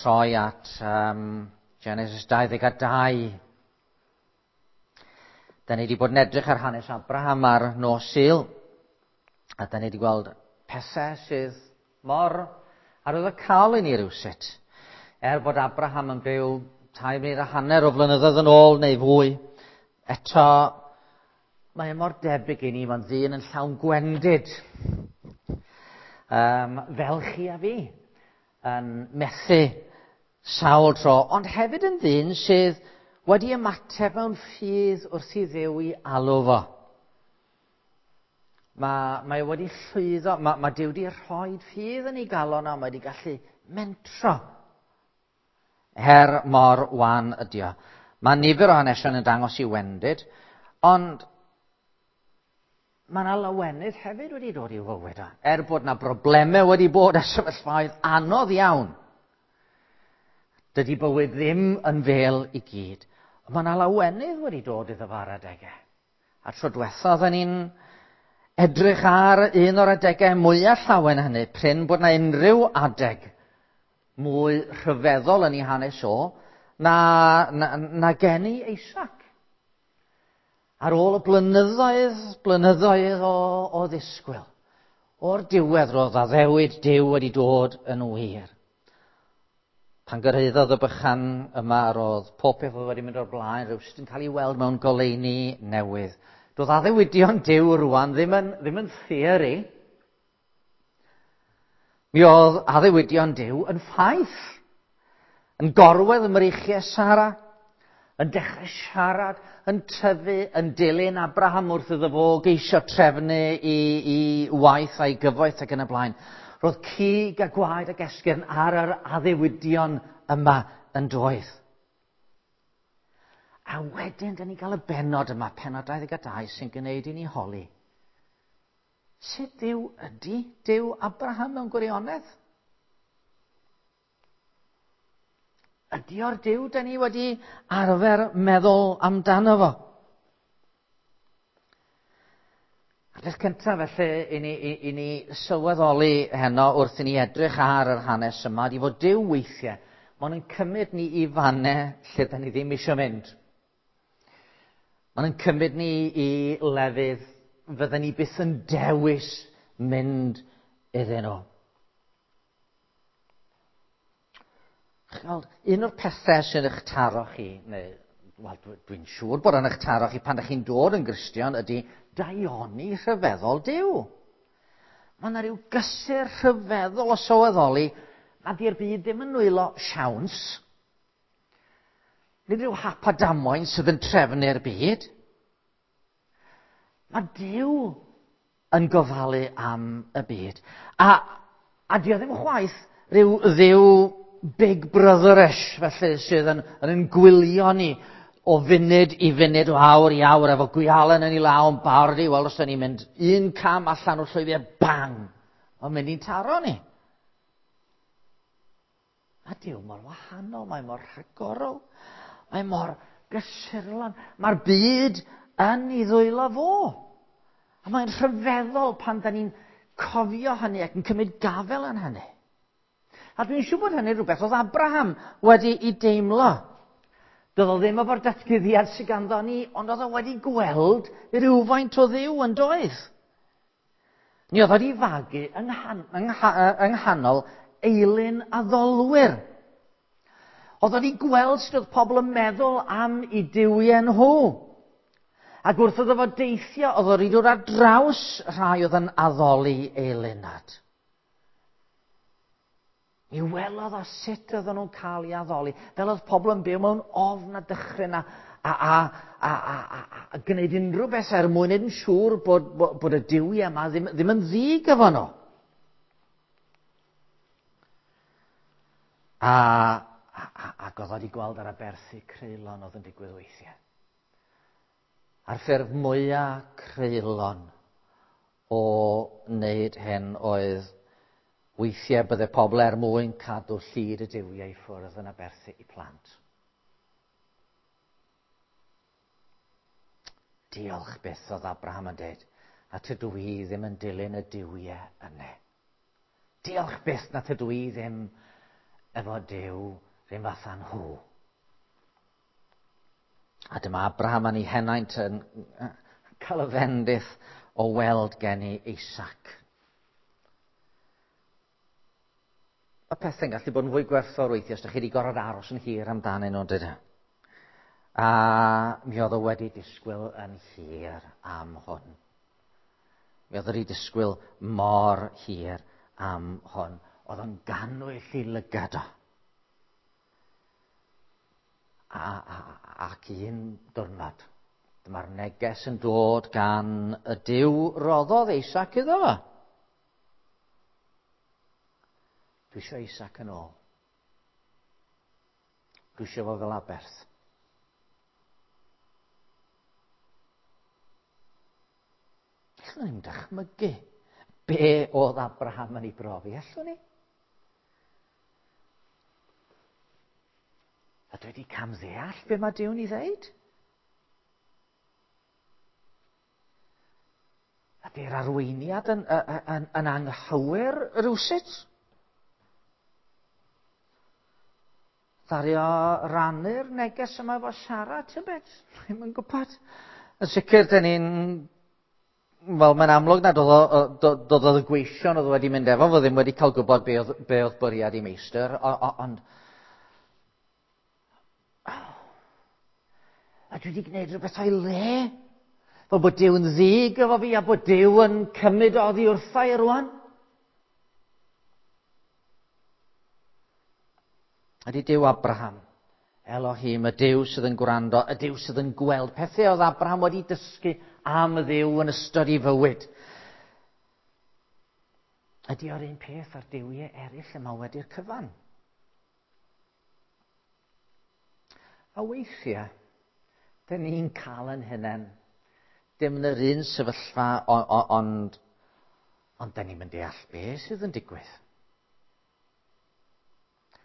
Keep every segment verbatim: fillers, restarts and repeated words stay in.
troi at um, Genesis dau ddeg a dau. Da ni wedi bod yn edrych ar hanes Abraham ar nos Sul, a da ni wedi gweld pethau sydd mor arwyddocaol i ni rywsut. Er bod Abraham yn byw tair mil a hanner o flynyddoedd yn ôl neu fwy, eto mae e mor debyg i ni, mae'n ddyn yn llawn gwendid. Um, fel chi a fi, yn methu sawl tro, ond hefyd yn ddyn sydd wedi ymateb mewn ffydd wrth i Dduw i alw fo. Mae, mae wedi llwyddo, mae, mae Duw wedi rhoi ffydd yn ei galon a mae wedi gallu mentro er mor wan ydi o. Mae nifer o hanesion yn dangos i wendid, ond mae yna lawenydd hefyd wedi dod i'w fywyd o. Er bod yna broblemau wedi bod a sefyllfaoedd anodd iawn, dydy bywyd ddim yn fel i gyd. Ond mae yna lawenydd wedi dod iddo fo ar adegau. A tro diwetha oedden ni'n edrych ar un o'r adegau mwyaf llawen hynny, prin bod yna unrhyw adeg mwy rhyfeddol yn ei hanes o na, na, na geni Isaac. Ar ôl y blynyddoedd, blynyddoedd o, o ddisgwyl, o'r diwedd roedd addewid Duw wedi dod yn wir. Pan gyrhaeddodd y bychan yma, roedd pob peth oedd wedi mynd o'r blaen, rhywsut yn cael ei weld mewn goleuni newydd. Doedd addewidion Duw rwan ddim yn, ddim yn theori. Mi oedd addewidion Duw yn ffaith, yn gorwedd ym mreichiau Sara, yn dechrau siarad, yn tyfu, yn dilyn Abraham wrth iddo fo geisio trefnu i, i waith a'i gyfoeth ac yn y blaen. Roedd cig a gwaed ac esgyrn ar yr addewidion yma yn doedd. A wedyn, dyn ni gael y bennod yma, pennod dau ddeg a dau, sy'n gwneud i ni holi. Sut Duw ydy Duw Abraham mewn gwirionedd? Ydy o'r Duw dyn ni wedi arfer meddwl amdano fo? A'r peth cyntaf felly i ni, i, i ni sylweddoli heno wrth i ni edrych ar yr hanes yma, ydy fod Duw weithiau, mae'n yn cymryd ni i fannau lle dyn ni ddim eisiau mynd. Mae'n yn cymryd ni i lefydd fydden ni byth yn dewis mynd iddyn nhw. Chweld, un o'r pethau sy'n eich taro chi, neu wel, dwi'n siŵr bod yn eich taro chi pan ydych chi'n dod yn Gristion, ydy daioni rhyfeddol Duw. Mae yna rhyw gysur rhyfeddol o sylweddoli nad yw'r byd ddim yn nwylo siawns. Nid rhyw hap a damwain sydd yn trefnu'r byd. Mae Duw yn gofalu am y byd. A, a dio ddim chwaith rhyw ddiw Big Brother-ish, felly, sydd yn, yn, yn gwylio ni o funud i funud, o awr i awr, efo gwialen yn ei law yn barod i weld os da ni'n mynd un cam allan o'r llwybr, bang! Mae'n mynd i'n taro ni. Mae Duw mor wahanol, mae mor rhagorol, mae mor gysurlon. Mae'r byd yn ei ddwylo fo. A mae'n rhyfeddol pan da ni'n cofio hynny ac yn cymryd gafel yn hynny. A dwi'n siŵr bod hynny rhywbeth oedd Abraham wedi ei deimlo. Doedd o ddim efo'r datguddiad sydd ganddo ni, ond oedd o wedi gweld rhywfaint o Dduw yn doedd. Mi oedd wedi fagu yng nghanol eilun addolwyr. Oedd wedi gweld sut oedd pobl yn meddwl am eu duwiau nhw. Ac wrth iddo fo deithio, oedd o wedi dod ar draws rhai oedd yn addoli eilunad. Mi welodd o sut oedden nhw'n cael ei addoli, fel oedd pobl yn byw mewn ofn a dychryn a, a, a, a, a, a, a gwneud unrhyw beth er mwyn wneud yn siŵr bod, bod, bod y duwiau yma ddim, ddim yn ddig efo nhw. A, a, a, ac oedd wedi gweld ar aberthu creulon oedd yn digwydd weithiau. A'r ffurf mwyaf creulon o wneud hyn oedd weithiau bydde pobl er mwyn cadw llid y duwiau i ffwrdd yn aberthu i plant. Diolch byth oedd Abraham yn dweud, a tydw i ddim yn dilyn y duwiau yna. Diolch byth na tydw i ddim efo Duw rhywun fath â nhw. A dyma Abraham yn ei henaint yn cael y fendith o weld geni Isaac. Mae pethau'n gallu bod yn fwy gwerthfawr weithiau os ydych chi wedi gorfod aros yn hir amdanyn nhw, dydych? A mi oedd o wedi disgwyl yn hir am hwn. Mi oedd o wedi disgwyl mor hir am hwn. Oedd o'n gannwyll i lygad o. A, a, ac un diwrnod, dyma'r neges yn dod gan y Duw roddodd Isaac iddo fo. Dwi eisiau Isaac yn ôl. Dwi eisiau fo fel aberth. Allwn ni'm dychmygu be oedd Abraham yn ei brofi, allwn ni? A dwi wedi camddeall be mae Duw'n ei ddeud? Ydy'r arweiniad yn, yn, yn, yn anghywir rywsut? Ddaru o rannu'r neges yma efo Sara, tybed? Dwi'm yn gwybod. Yn sicr, dyn ni'n... Wel, mae'n amlwg nad oedd oedd y gweision oedd wedi mynd efo fo ddim wedi cael gwybod be oedd, be oedd bwriad i meistr, ond... A dwi wedi gwneud rhywbeth o'i le. Fel bod Duw yn ddig efo fi a bod Duw yn cymryd oddi wrtha i rwan. Ydy Duw Abraham, Elohim, y Duw sydd yn gwrando, y Duw sydd yn gweld. Pethau oedd Abraham wedi dysgu am y Dduw yn ystod ei fywyd. Ydy o'r un peth â'r duwiau eraill yma wedi'r cyfan? A weithiau, dyn ni'n cael yn hunain, dim yn yr un sefyllfa, ond, ond dyn ni'n mynd deall beth sydd yn digwydd.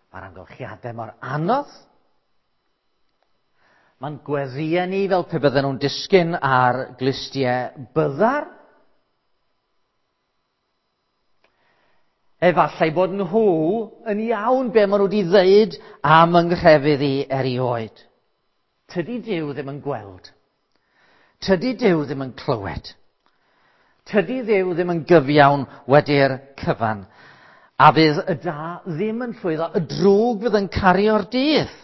Mae'r amgylchiadau mor anodd. Mae'n gweddïau ni fel pe bydden nhw'n disgyn ar glustiau byddar. Efallai bod nhw yn iawn be maen nhw wedi ddeud am yng nghrefydd i erioed. Tydi Duw ddim yn gweld. Tydi Duw ddim yn clywed. Tydi Dduw ddim yn gyfiawn wedi'r cyfan. A fydd y da ddim yn llwyddo, y drwg fydd yn cario'r dydd.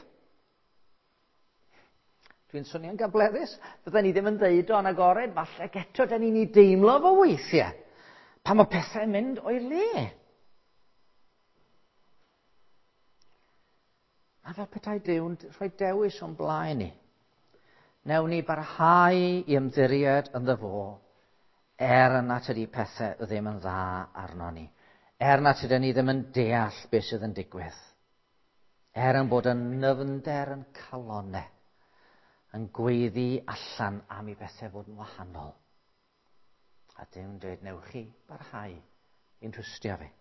Dwi'n swnio'n gableddus, fydden ni ddim yn ddeud o'n agored, falle eto da ni'n ei deimlo fo weithiau. Pan mae pethau'n mynd o'i le. A fel petai Duw'n rhoi dewis o'n blaen ni. Newn ni barhau i ymddiried ynddo fo, er na tydi pethau ddim yn dda arno ni. Er na tydyn ni ddim yn deall beth sydd yn digwydd. Er yn bod yn nyfnder yn calonau, yn gweiddi allan am i bethau fod yn wahanol. A Duw'n dweud, newch chi barhau i'n trwstio fi.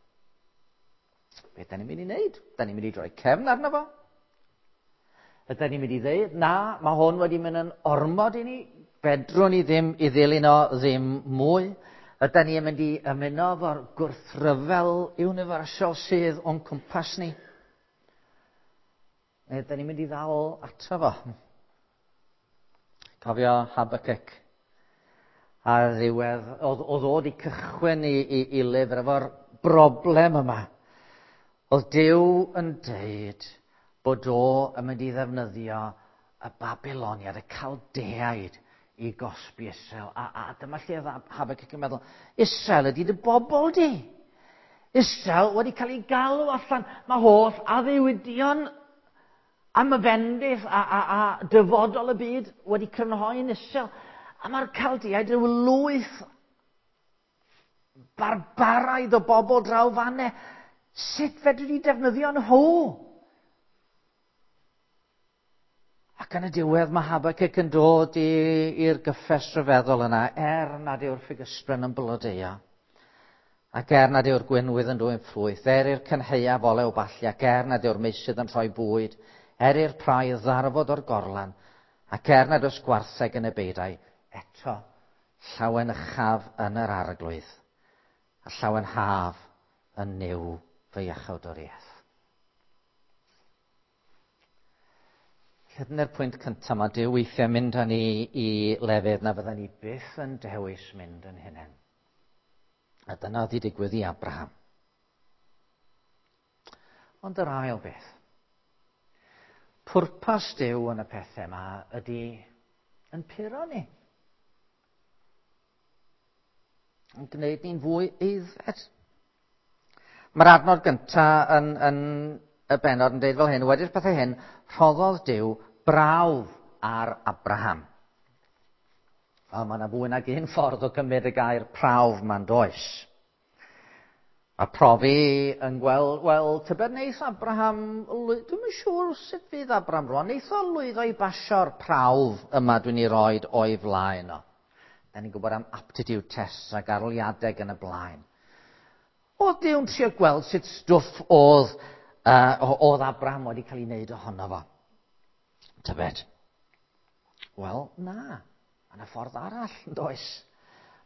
Be da ni'n mynd i wneud? Da ni'n mynd i droi cefn arno fo? Ydy ni'n mynd i ddeud, na, mae hwn wedi mynd yn ormod i ni, fedrwn ni ddim i ddilyn o ddim mwy. Ydy ni'n mynd i ymuno efo'r gwrthryfel universal sydd o'n cwmpas ni? Neu ydy ni'n mynd i ddal ato fo? Cofio Habakkuk ar ddiwedd, oedd, oedd o 'di cychwyn i, i, i lyfr efo'r broblem yma. Oedd Duw yn deud bod o yn mynd i ddefnyddio y Babyloniad, y Caldeaid, i gosbi Israel. A, a dyma lle oedd Habakkuk yn meddwl, Israel ydy dy bobl di. Israel wedi cael ei galw allan. Mae holl addewidion am y fendith a, a, a dyfodol y byd wedi crynhoi'n Israel. A mae'r Caldeaid rhyw lwyth barbaraidd o bobl draw fanne. Sut fedri di defnyddio nhw? Ac yn y diwedd mae Habakkuk yn dod i'r gyffes rhyfeddol yna, er nad yw'r ffigysbren yn blodeuo, ac er nad yw'r gwenwydd yn dwyn ffrwyth, er i'r cynhaeaf olew ballu, ac er nad yw'r meysydd yn rhoi bwyd, er i'r praidd ddarfod o'r gorlan, ac er nad oes gwartheg yn y beidau, eto llawenychaf yn yr arglwydd, a llawenhaf yn Nuw fy iachawdwriaeth. Felly dyna'r pwynt cyntaf, mae Duw weithiau mynd â ni i lefydd na fydden ni byth yn dewis mynd yn hunain. A dyna oedd wedi digwydd i Abraham. Ond yr ail beth, pwrpas Duw yn y pethau yma ydy yn puro ni. Yn gwneud ni'n fwy aeddfed. Mae'r adnod gyntaf yn, yn y bennod yn dweud fel hyn, wedi'r pethau hyn, rhoddodd Duw brawf ar Abraham. Wel, mae yna fwy nag un ffordd o gymryd y gair prawf ma'n does. A profi yn gweld, wel, tybed neith Abraham, dwi'm yn siŵr sut fydd Abraham rwan, neith o lwyddo i basio'r prawf yma dwi'n ei roed o'i flaen o. Da ni'n gwybod am aptitude tests ac arholiadau yn y blaen. Oedd Duw'n trio gweld sut stwff oedd, uh, oedd Abraham wedi cael ei wneud ohono fo. Tybed? Wel, na. Mae yna ffordd arall, yn does?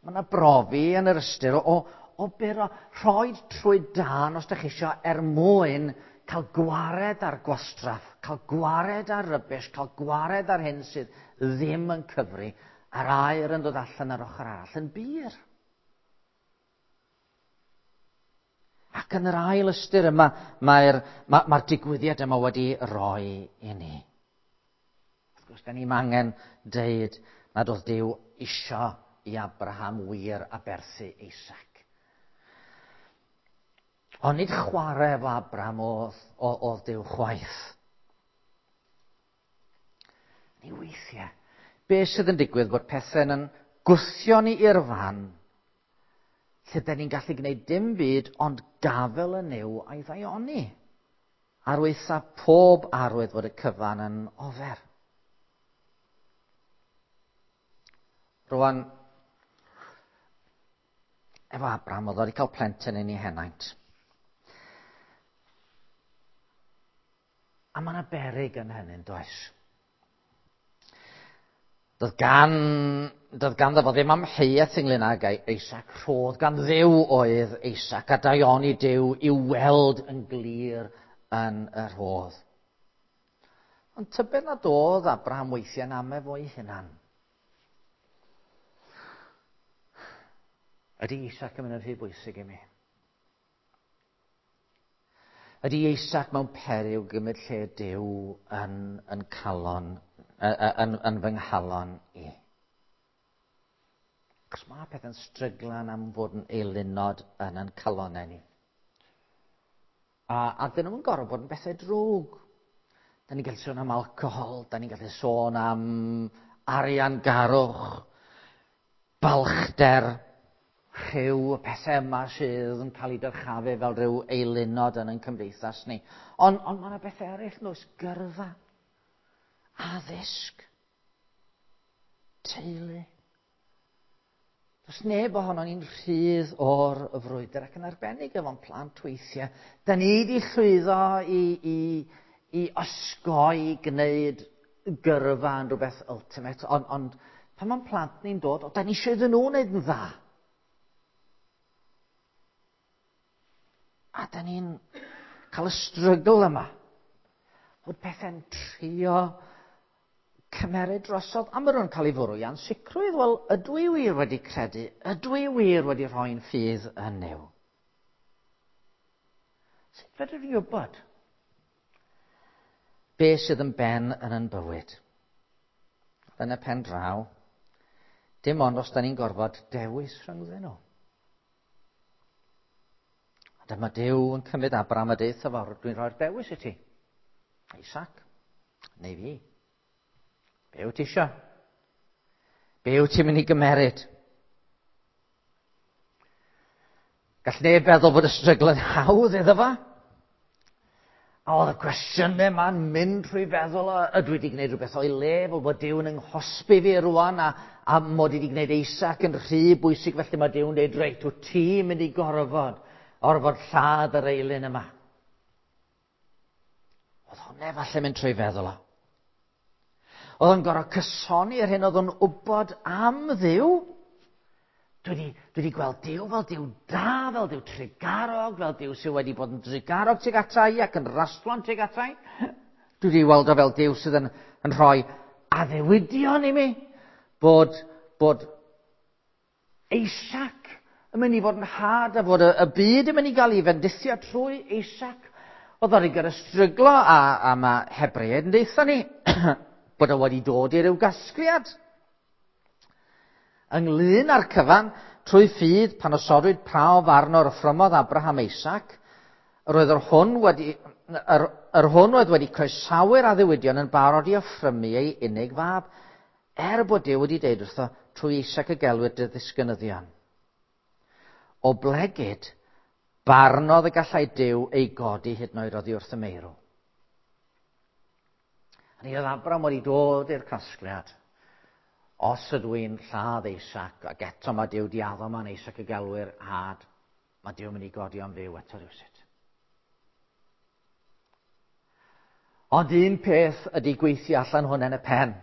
Mae yna brofi yn yr ystyr o, o, o buro, rhoi trwy dân os ydych chi eisiau er mwyn cael gwared ar gwastraff, cael gwared ar rubbish, cael gwared ar hyn sydd ddim yn cyfri, a'r aer yn dod allan ar ochr arall yn bur. Ac yn yr ail ystyr yma, mae'r ma, mae'r digwyddiad yma wedi roi i ni. Wrth gwrs, da ni'm angen deud nad oedd Duw isio i Abraham wir aberthu Isaac. Ond nid chwarae efo Abraham oedd, oedd Duw chwaith. Ni weithiau, be sydd yn digwydd bod pethau'n yn gwthio ni i'r fan lle da ni'n gallu gwneud dim byd ond gafel yn Nuw a'i ddaioni. Ar waetha pob arwydd fod y cyfan yn ofer. Rwan, efo Abraham, oedd wedi cael plentyn yn ei henaint. A mae yna beryg yn hynny'n does? Doedd gan, doedd ganddo fo ddim amheuaeth ynglyn ag Isaac, rhodd gan Dduw oedd Isaac, a daioni Duw i'w weld yn glir yn y rhodd. Ond tybed nad oedd Abraham weithiau'n ame fo'i hunan. Ydy Isaac yn mynd yn rhy bwysig i mi? Ydy Isaac mewn peryg gymryd lle Duw yn, yn calon, yn, yn fy nghalon i? Cos mae pethau'n stryglan am fod yn eilunod yn yn calonau ni. A, a dyn nhw'n gorfod bod yn bethau drwg. Da ni'n gallu sôn am alcohol, da ni'n gallu sôn am arian garwch, balchder, rhyw, y pethau yma sydd yn cael ei dyrchafu fel rhyw eilunod yn ein cymdeithas ni. Ond on mae yna bethau eraill, oes, gyrfa, addysg, teulu. Does neb ohono ni'n rhydd o'r frwydr ac yn arbennig efo'n plant weithiau. Da ni wedi llwyddo i, i, i osgoi gwneud gyrfa yn rhywbeth ultimate, ond on, pan mae'n plant ni'n dod, o, da ni eisiau iddyn nhw wneud yn dda. A da ni'n cael y strygl yma. Bod pethau'n trio cymeryd drosodd. A maen nhw'n cael ei fwrw i ansicrwydd. Wel, ydw i wir wedi credu? Ydw i wir wedi rhoi'n ffydd yn Nuw? Sut fedrwn ni wybod be sydd yn ben yn yn bywyd? Yn y pen draw, dim ond os da ni'n gorfod dewis rhyngddyn nhw. A dyma Duw yn cymryd Abraham a deud wrtho fo, dwi'n rhoi'r dewis i ti. Isaac, neu fi. Be wyt ti isio? Be wyt ti'n mynd i gymeryd? Gall neb feddwl bod y strygl yn hawdd iddo fo. A oedd y cwestiynau yma'n mynd trwy feddwl, ydw i wedi gwneud rhywbeth o'i le, fel bod Duw yn nghosbi fi rwan, a, a mod i wedi gwneud Isaac yn rhy bwysig, felly mae Duw'n dweud, reit, wyt ti'n mynd i gorfod, orfod lladd yr eilun yma. Oedd hwnna falle mynd trwy feddwl o. Oedd o'n gorfod cysoni yr hyn oedd o'n wybod am Dduw. Dwi wedi, dwi wedi gweld Duw fel Duw da, fel Duw trugarog, fel Duw sydd wedi bod yn drugarog tuag ata i ac yn rastlon tuag ata i. Dwi wedi weld o fel Duw sydd yn yn rhoi addewidion i mi, bod, bod Isaac yn mynd i fod yn had a fod y, y byd yn mynd i gael ei fendithio trwy Isaac. Oedd o'n i gyda stryglo a, a mae Hebreaid yn deutha ni bod o wedi dod i ryw gasgliad. Ynglyn â'r cyfan, trwy ffydd, pan osodwyd prawf arno yr offrymodd Abraham Isaac, yr oedd yr hwn wedi, yr, yr hwn oedd wedi croesawu'r addewidion yn barod i offrymu ei unig fab, er bod Duw wedi deud wrtho, trwy Isaac y gelwir dy ddisgynyddion. O blegid, barnodd y gallai Duw ei godi hyd yn oed oddi wrth y meirw. A ni oedd Abraham wedi dod i'r casgliad. Os ydw i'n lladd Isaac, ac eto mae Duw di addo ma'n Isaac y gelwir had, mae Duw yn mynd i godi o'n fyw eto rhywsut. Ond un peth ydy gweithio allan hwn yn y pen.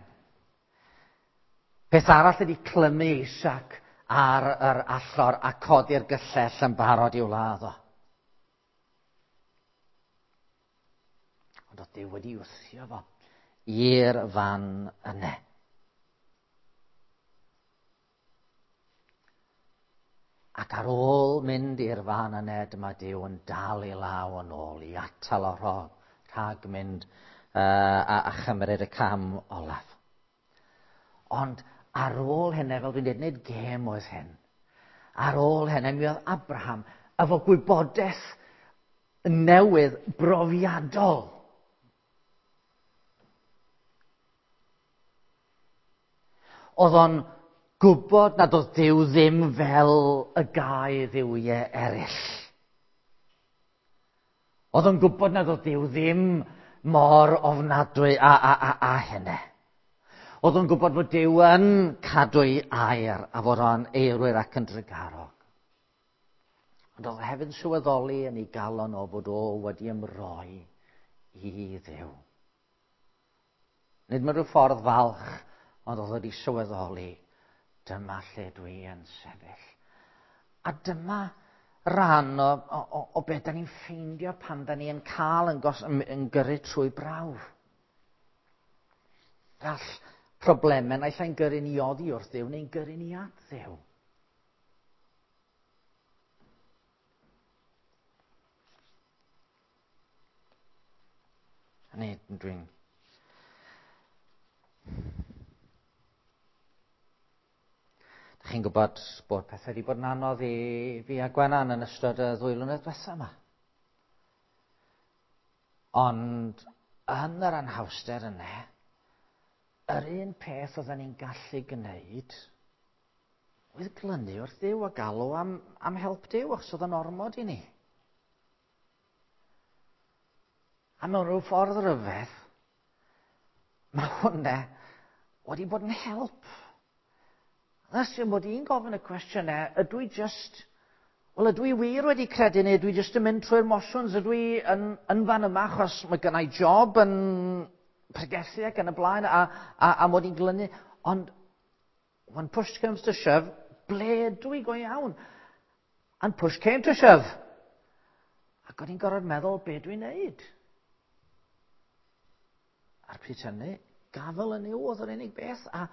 Peth arall ydy clymu Isaac ar yr allor a codi'r gyllell yn barod i'w ladd o. Ond oedd Duw wedi wthio fo i'r fan yna. Ac ar ôl mynd i'r fan yna, dyma Duw yn dal ei law yn ôl i atal o rhag, rhag mynd uh, a, a chymryd y cam olaf. Ond ar ôl hynny, fel dwi'n dweud, nid gêm oedd hyn. Ar ôl hynny, mi oedd Abraham efo gwybodaeth newydd brofiadol. Oedd o'n gwybod nad oedd Duw ddim fel y gau dduwiau eraill. Oedd o'n gwybod nad oedd Duw ddim mor ofnadwy a, a, a, a hynny. Oedd o'n gwybod fod Duw yn cadw'i air a fod o'n eirwyr ac yn drugarog. Ond oedd hefyd yn sylweddoli yn ei galon o fod o wedi ymroi i Dduw. Nid mewn rhyw ffordd falch, ond oedd wedi sylweddoli, dyma lle dwi yn sefyll. A dyma ran o, o, o beth da ni'n ffeindio pan da ni'n cael yn, gos, yn, yn gyrru trwy brawf. Gall problemau naill ai'n gyrru ni oddi wrth Dduw neu'n gyrru ni at Dduw. A ni, dwi'n... Dach chi'n gwybod bod pethau wedi bod yn anodd i fi a Gwenan yn ystod y ddwy flynedd diwethaf yma. Ond yn yr anhawster yna, yr un peth oedden ni'n gallu gwneud oedd glynu wrth Dduw a galw am, am help Duw, achos oedd yn ormod i ni. A mewn rhyw ffordd ryfedd, mae hwnna wedi bod yn help. Ys yw'n bod i'n gofyn y cwestiynau, ydw i just, wel ydw i wir wedi credu neu ydw i just yn mynd trwy'r motions, ydw i yn, yn fan yma achos mae gynna i job yn pregethu ac yn y blaen a, a, a mod i'n glynu. Ond when push comes to shove, ble ydw i go iawn? And push came to shove. Ac o'n i'n gorfod meddwl be dwi'n neud. A'r pryd hynny, gafel yn yw oedd yr unig beth. A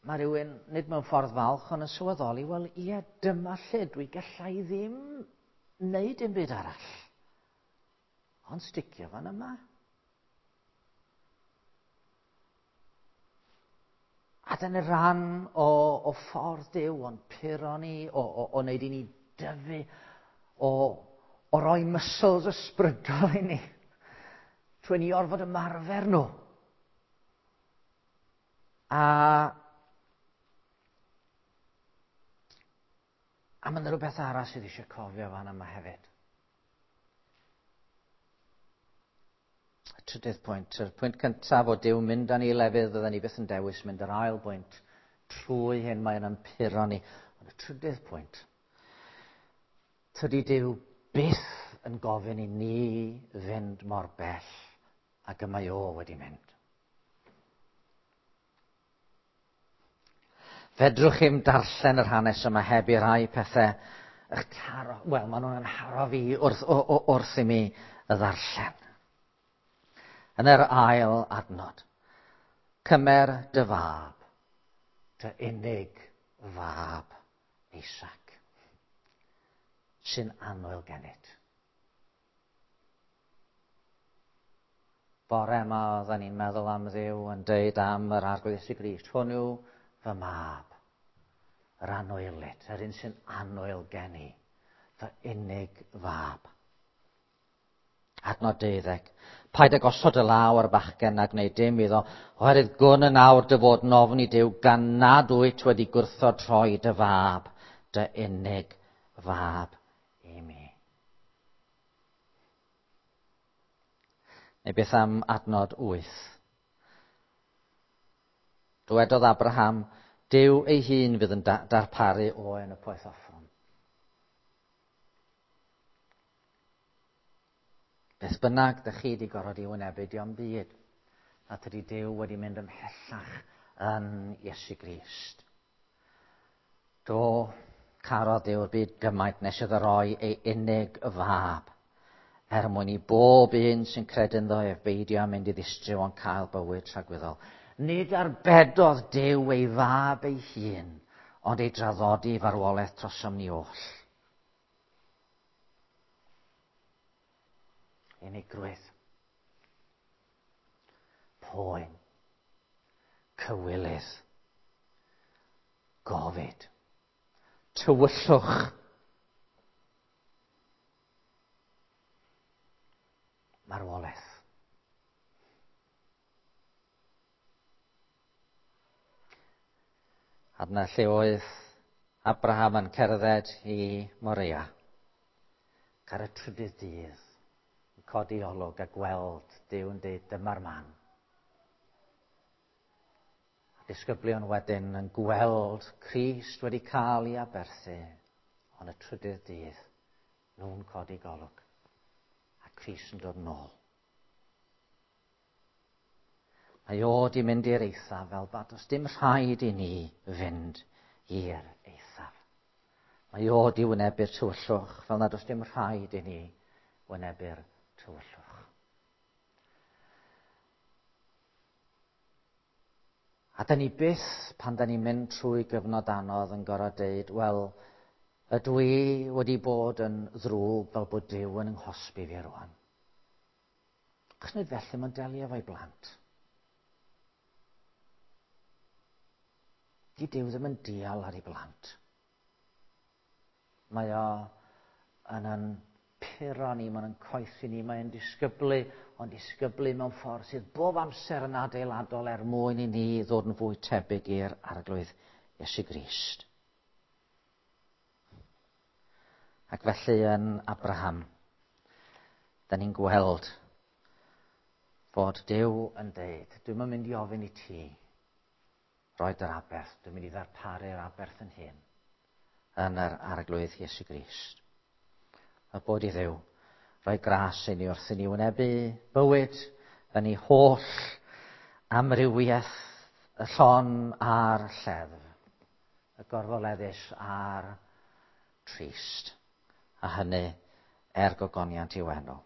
mae rhywun, nid mewn ffordd falch, ond yn sylweddoli, wel ie, dyma lle dwi gallai ddim wneud dim byd arall. Ond sticio fan yma. A dyna ran o, o ffordd Duw, o'n puro ni, o, o, o wneud i ni dyfu, o, o roi muscles ysbrydol i ni, trwy ni orfod ymarfer nhw. A, a mae yna rhywbeth arall sydd eisiau cofio fan yma hefyd. Y trydydd pwynt, y pwynt cyntaf o Duw mynd â ni i lefydd fydden ni byth yn dewis mynd, yr ail bwynt, trwy hyn mae'n ympuro ni. Ond y trydydd pwynt, tydi Duw byth yn gofyn i ni fynd mor bell ag y mae o wedi mynd. Fedrwch chi'm darllen yr hanes yma heb i rai pethau eich taro. Wel, maen nhw'n haro fi wrth, o, o, wrth i mi y ddarllen. Yn yr ail adnod, cymer dy fab, dy unig fab Isaac, sy'n annwyl gennyt. Bore yma oedden ni'n meddwl am Dduw yn deud am yr Arglwydd Iesu Grist, hwn yw fy mab, yr anwylyd, yr un sy'n annwyl gen i, fy unig fab. Adnod deuddeg. Paid â gosod y law ar y bachgen a gwneud dim iddo, oherwydd gwn yn awr dy fod yn ofni Duw gan nad wyt wedi gwrthod rhoi dy fab, dy unig fab i mi. Neu beth am adnod wyth? Dywedodd Abraham, Duw ei hun fydd yn darparu oen y poeth offrwm. Beth bynnag dych chi wedi gorfod i wynebu, dio'm byd. Na tydi Duw wedi mynd ymhellach yn Iesu Grist. Do, carodd Duw'r byd gymaint nes iddo roi ei unig fab, er mwyn i bob un sy'n credu ynddo ef beidio â mynd i ddistryw ond cael bywyd tragwyddol. Nid arbedodd Duw ei fab ei hun, ond ei draddodi i farwolaeth trosom ni oll. Unigrwydd, poen, cywilydd, gofid, tywyllwch. Marwolaeth. A dyna lle oedd Abraham yn cerdded i Moria. Ar y trydydd dydd, yn codi olwg a gweld Duw yn dweud dyma'r man. A disgyblion wedyn yn gweld Crist wedi cael ei aberthu, ond y trydydd dydd, nhw'n codi golwg. A Crist yn dod nôl. Mae o di mynd i'r eithaf fel bod does dim rhaid i ni fynd i'r eithaf. Mae o di wynebu'r tywyllwch fel nad oes dim rhaid i ni wynebu'r tywyllwch. A da ni byth, pan da ni'n mynd trwy gyfnod anodd, yn gorfod deud, wel, ydw i wedi bod yn ddrwg fel bod Duw yn 'nghosbi fi rwan. Achos nid felly mae'n delio efo'i blant. Di Duw ddim yn dial ar ei blant. Mae o yn yn puro ni, mae'n yn coethi ni, mae'n disgyblu, ond disgyblu mewn ffordd sydd bob amser yn adeiladol er mwyn i ni ddod yn fwy tebyg i'r Arglwydd Iesu Grist. Ac felly yn Abraham, da ni'n gweld fod Duw yn deud, dwi'm yn mynd i ofyn i ti roed yr aberth, dwi'n mynd i ddarparu'r aberth yn hyn, yn yr Arglwydd Iesu Grist. A bod i Dduw roi gras i ni wrth i ni wynebu bywyd yn ei holl amrywiaeth, y llon a'r lleddf, y gorfoleddus a'r trist, a hynny er gogoniant i'w enw.